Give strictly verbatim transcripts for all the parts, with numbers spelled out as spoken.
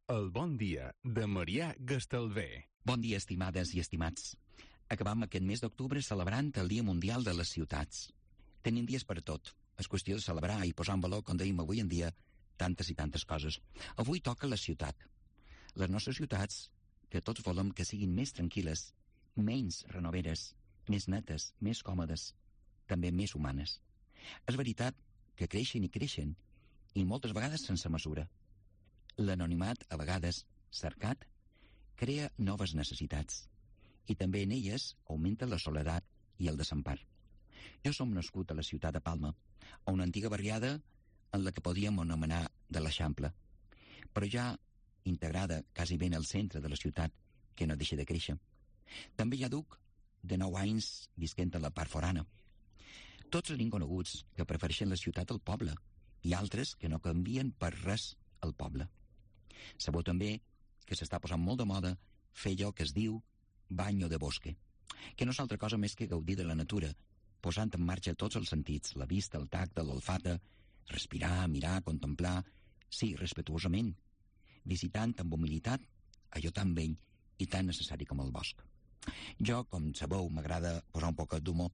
El bon dia de Marià Gastalver. Bon dia, estimades i estimats. Acabam aquest mes d'octubre celebrant el Dia Mundial de les Ciutats. Tenim dies per a tot. És qüestió de celebrar i posar en valor, com dèiem avui en dia, tantes i tantes coses. Avui toca la ciutat. Les nostres ciutats, que tots volem que siguin més tranquil·les, menys renoveres, més netes, més còmodes, també més humanes. És veritat que creixen i creixen, i moltes vegades sense mesura. L'anonimat, a vegades cercat, crea noves necessitats, i també en elles augmenta la soledat i el desempar. Jo som nascut a la ciutat de Palma, a una antiga barriada en la que podíem anomenar de l'Eixample, però ja integrada quasi ben al centre de la ciutat, que no deixa de créixer. També hi ha duc de nou anys visquent a la part forana. Tots tenim coneguts que prefereixen la ciutat al poble, i altres que no canvien per res al poble. Sabeu també que s'està posant molt de moda fer allò que es diu banyo de bosque, que no és altra cosa més que gaudir de la natura, posant en marxa tots els sentits, la vista, el tacte, l'olfata, respirar, mirar, contemplar, sí, respetuosament, visitant amb humilitat allò tan vell i tan necessari com el bosc. Jo, com sabeu, m'agrada posar un poc d'humor,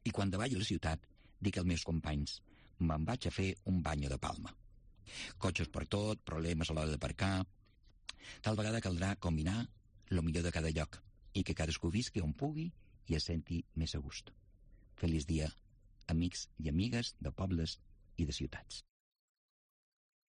i quan davallo a la ciutat dic als meus companys: me'n vaig a fer un banyo de Palma. Cotxes per tot, problemes a l'hora d'aparcar. Tal vegada caldrà combinar el millor de cada lloc i que cadascú visqui on pugui i es senti més a gust. Feliç dia, amics i amigues de pobles i de ciutats.